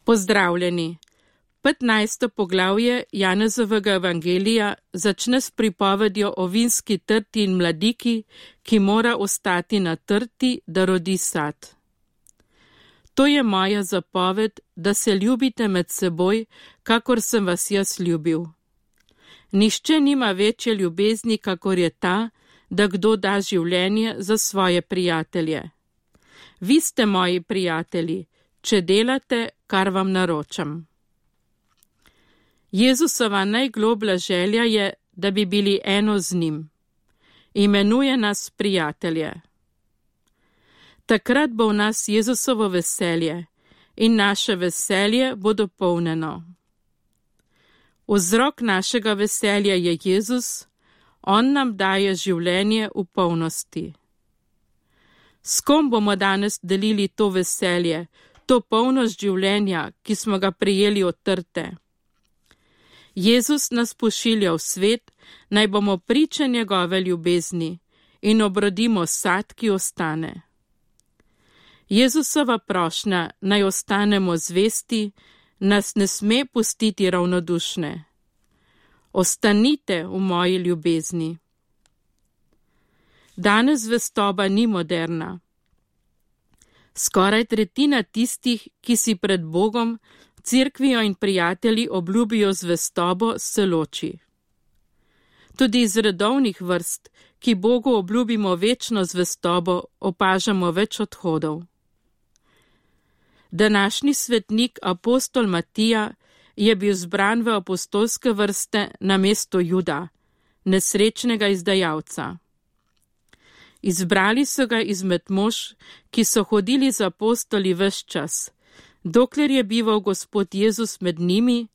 Pozdravljeni! 15. poglavje Janezovega evangelija začne s pripovedjo o vinski trti in mladiki, ki mora ostati na trti, da rodi sad. To je moja zapoved, da se ljubite med seboj, kakor sem vas jaz ljubil. Nihče nima večje ljubezni, kakor je ta, da kdo da življenje za svoje prijatelje. Vi ste moji prijatelji, če delate, kar vam naročam. Jezusova najgloblja želja je, da bi bili eno z njim. Imenuje nas prijatelje. Takrat bo v nas Jezusovo veselje in naše veselje bo dopolnjeno. Vzrok našega veselja je Jezus, on nam daje življenje v polnosti. S kom bomo danes delili to veselje, to polnost življenja, ki smo ga prejeli od trte? Jezus nas pošilja v svet, naj bomo priče njegove ljubezni in obrodimo sad, ki ostane. Jezusova prošnja, naj ostanemo zvesti, nas ne sme pustiti ravnodušne. Ostanite v moji ljubezni. Danes zvestoba ni moderna. Skoraj tretjina tistih, ki si pred Bogom, cerkvijo in prijatelji obljubijo zvestobo, se loči. Tudi iz redovnih vrst, ki Bogu obljubimo večno zvestobo, opažamo več odhodov. Današnji svetnik apostol Matija je bil zbran v apostolske vrste namesto Juda, nesrečnega izdajalca. Izbrali so ga izmed mož, ki so hodili z apostoli ves čas, dokler je bival Gospod Jezus med njimi,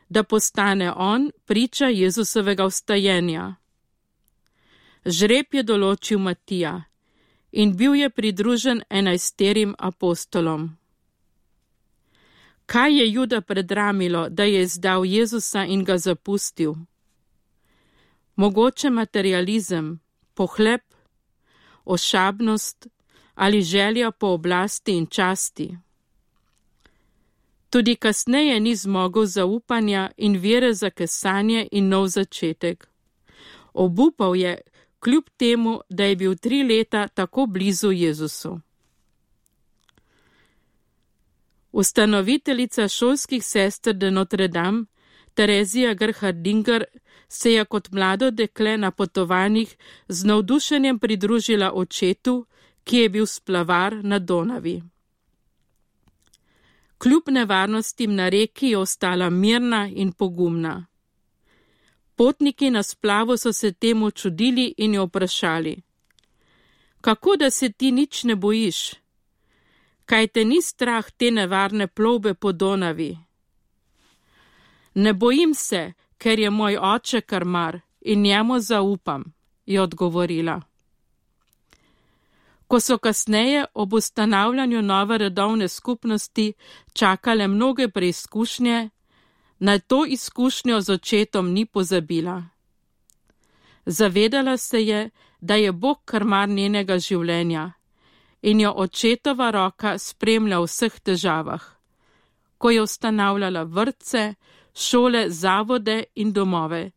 da postane on priča Jezusovega vstajenja. Žreb je določil Matija in bil je pridružen 11 apostolom. Kaj je Juda predramilo, da je izdal Jezusa in ga zapustil? Mogoče materializem, pohlep, ošabnost ali želja po oblasti in časti. Tudi kasneje ni zmogel zaupanja in vere za kesanje in nov začetek. Obupal je, kljub temu, da je bil 3 leta tako blizu Jezusu. Ustanoviteljica šolskih sester de Notre Dame, Terezija Gerhardinger, se je kot mlado dekle na potovanjih z navdušenjem pridružila očetu, ki je bil splavar na Donavi. Kljub nevarnostim na reki je ostala mirna in pogumna. Potniki na splavu so se temu čudili in jo vprašali: kako da se ti nič ne bojiš? Kaj te ni strah te nevarne plovbe po Donavi? Ne bojim se, ker je moj oče karmar in njemu zaupam, je odgovorila. Ko so kasneje ob ustanavljanju nove redovne skupnosti čakale mnoge preizkušnje, na to izkušnjo z očetom ni pozabila. Zavedala se je, da je Bog karmar njenega življenja in jo očetova roka spremlja v vseh težavah, ko je ustanavljala vrtce, šole, zavode in domove,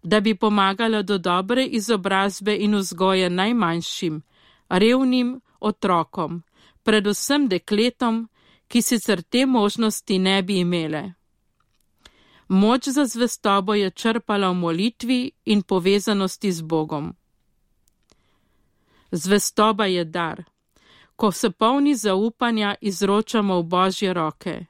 da bi pomagala do dobre izobrazbe in vzgoje najmanjšim, revnim otrokom, predvsem dekletom, ki sicer te možnosti ne bi imele. Moč za zvestobo je črpala v molitvi in povezanosti z Bogom. Zvestoba je dar, ko se polni zaupanja izročamo v Božje roke.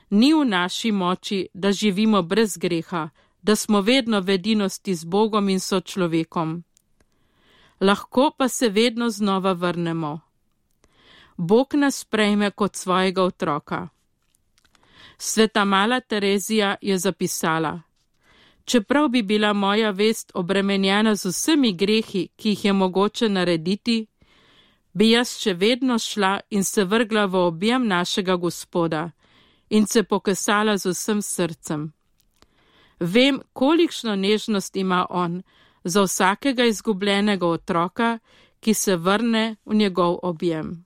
Ni v naši moči, da živimo brez greha, da smo vedno v edinosti z Bogom in sočlovekom. Lahko pa se vedno znova vrnemo. Bog nas sprejme kot svojega otroka. Sveta mala Terezija je zapisala: čeprav bi bila moja vest obremenjena z vsemi grehi, ki jih je mogoče narediti, bi jaz še vedno šla in se vrgla v objem našega Gospoda in se pokesala z vsem srcem. Vem, kolikšno nežnost ima on za vsakega izgubljenega otroka, ki se vrne v njegov objem.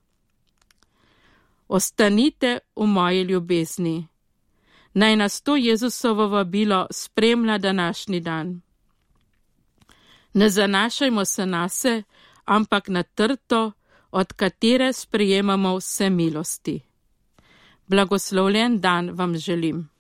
Ostanite v moji ljubezni. Naj nas to Jezusovo vabilo spremlja današnji dan. Ne zanašajmo se nase, ampak na trto, od katere sprejemamo vse milosti. Blagoslovljen dan vam želim.